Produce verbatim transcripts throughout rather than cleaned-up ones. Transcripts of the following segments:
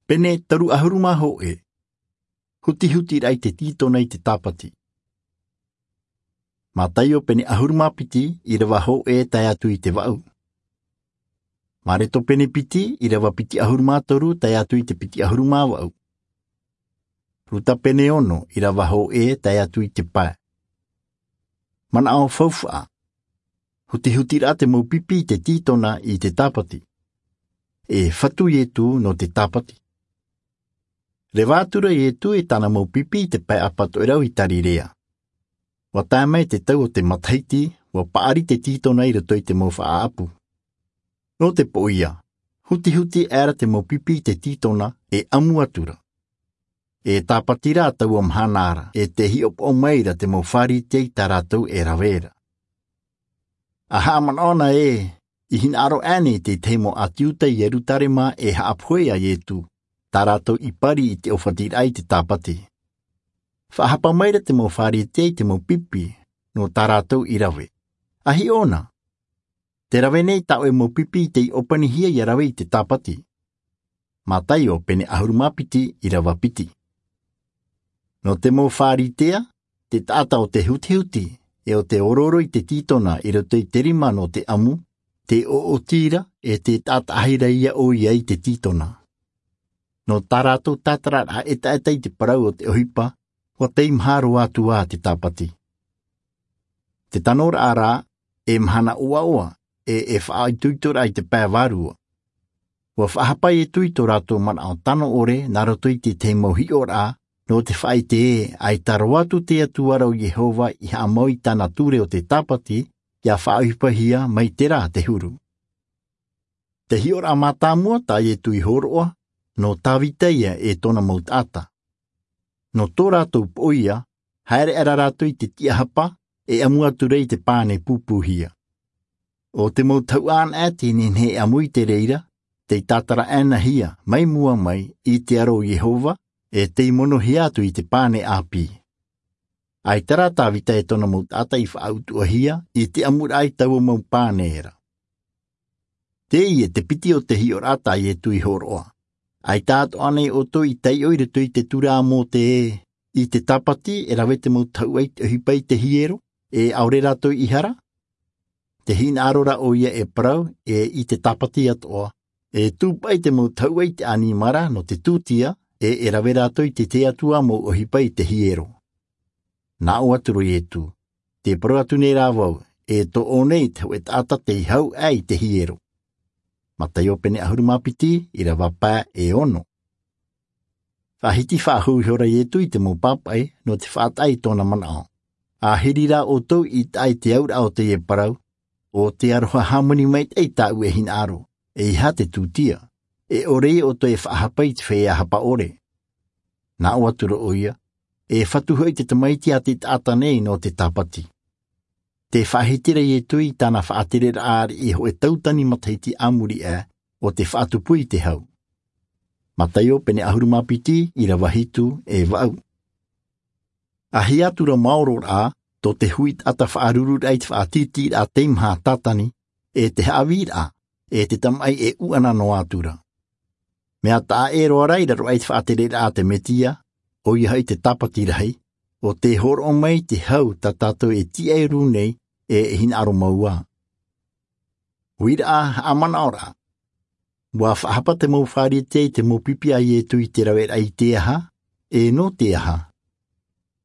Pene toru ʻahuru mā hōʻē. Hutihuti raʻa i te tītona i te tāpati. Mataio pene ʻahuru mā piti, ʻirava hōʻē tae atu i te vaʻu. Mareto pene piti, ʻirava piti ʻahuru mā toru tae atu i te piti ʻahuru mā vaʻu. Ruta pene ono, ʻirava hōʻē tae atu i te pae. Manaʻo faufaʻa. Hutihuti raʻa te mau pipi i te tītona i te tāpati. E fatu Ietu nō te tāpati. Reva atura Ietu e tāna mau pipi i te pae ʻapatoʻerau i Tarirea. ʻUa tae mai te tau o te matahiti, ʻua paʻari te tītona i roto i te mau faʻaʻapu. Nō te poʻia, hutihuti aʻera te mau pipi i te tītona, e ʻamu atura. E tāpati rā taua mahana ra, e tē hiʻopoʻa mai ra te mau Pharisea i tā rātou e rave ra. ʻA haʻamanaʻo na ē, i hinaʻaro aʻe nei te tahi mau ʻāti Iuta i Ierutarema e haʻapohe ia Ietu, tā rātou i pari i te ʻōfatiraʻa i te tāpati. Faʻahapa mai ra te mau Pharisea i te mau pipi, nō tā rātou i rave. ʻA hiʻo na. Te rave nei tā ʻoe mau pipi i tei ʻōpanihia ʻia rave i te tāpati. Mataio pene ʻahuru mā piti, ʻirava piti. Nō te mau Pharisea, te taʻata o te hutihuti, e o te orooro i te tītona i roto i te rima nō te ʻamu, tē ʻoʻoti ra, e tē taʻataʻahi ra ia ʻoia i te tītona. Nō tā rātou tātararaʻa ʻetaʻeta i te parau o te ʻohipa, ʻua tei maha roa atu ā te tāpati. Te tanoraʻa rā, e mahana ʻoaʻoa, e, e faʻaitoitoraʻa i te pae vārua. ʻUa faʻahapa Ietu i tō rātou manaʻo tano ʻore, nā roto i te tahi mau hiʻoraʻa, nō te faʻaʻite ē, ʻaita roa atu te Atua ra ʻo Iehova i haʻamau i tāna ture o te tāpati, ʻia faʻaʻohipahia mai terā te huru. Te hiʻoraʻa mātāmua tā Ietu i hōroʻa, nō Tavita ia e tōna mau taʻata. Nō tō rātou poʻia, haere aʻera rātou i te tiʻahapa, e ʻamu atura i te pane pūpūhia. ʻO te mau tahuʻa anaʻe tē nehenehe e ʻamu i te reira, tei tātara aʻenahia, mai mua mai, i te aro o Iehova, e tei monohia atu i te pane ʻāpī. ʻAita rā Tavita e tōna mau taʻata i faʻautuʻahia, i te ʻamuraʻa i taua mau pane ra. Teie te piti o te hiʻoraʻa tā Ietu i hōroʻa. ʻAita atoʻa nei ʻoutou i taiʻo i roto i te ture a Mōte ē, i te tāpati e rave te mau tahuʻa i te ʻohipa i te hiero, e ʻaore rātou i hara? Tē hinaʻaro ra ʻoia e parau, e i te tāpati atoʻa, e tūpaʻi te mau tahuʻa i te ʻanimara nō te tūtia, e e rave rātou i te tahi atu ā mau ʻohipa i te hiero. Nā ʻō atu ra Ietu, tē parau atu nei rā vau, e toʻo nei te hōʻē taʻata tei hau aʻe i te hiero. Mataio pene ʻahuru mā piti, ʻirava pae e ono. Faʻahiti faʻahou ihora Ietu i te mau pāpaʻi, nō te faʻataʻa i tōna manaʻo. ʻA hiri rā ʻoutou i taʻa i te auraʻa o teie parau, ʻo te aroha hāmani maitaʻi tāʻu e hinaʻaro, ʻeiaha te tūtia, e ʻore ia ʻoutou e faʻahapa i te feiā hapa ʻore. Nā ʻō atu ra ʻoia, e fatu hoʻi te Tamaiti a te taʻata nei nō te tāpati. Tē faʻahiti ra Ietu i tāna faʻatereraʻa ariʻi hōʻē tautani matahiti a muri aʻe, ʻo te faʻatupu i te hau. Mataio pene ʻahuru mā piti, ʻirava hitu, e vaʻu. ʻA hia atu ra maoro rā, tō te hui taʻata faʻarururaʻa i te faʻatītīraʻa teimaha Tātani, e te haʻavīraʻa, e te tamaʻi e ʻuʻana noa atu ra. Mea taʻa ʻē roa rā i raro aʻe i te faʻatereraʻa a te Mesia, ʻoia hoʻi te tāpati rahi, ʻo tē hōroʻa mai te hau tā tātou e tīaʻi ra nei, e e hinaʻaro mau ā. Uiraʻa, haʻamanaʻoraʻa. ʻUa faʻahapa te mau Pharisea i te mau pipi a Ietu i te raveraʻa i te aha, e nō te aha.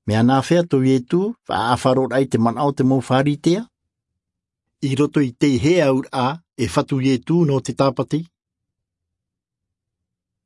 Mea nāfea tō Ietu, faʻaʻafaroraʻa i te manaʻo o te mau Pharisea? I roto i te hea auraʻa, e fatu Ietu nō te tāpati,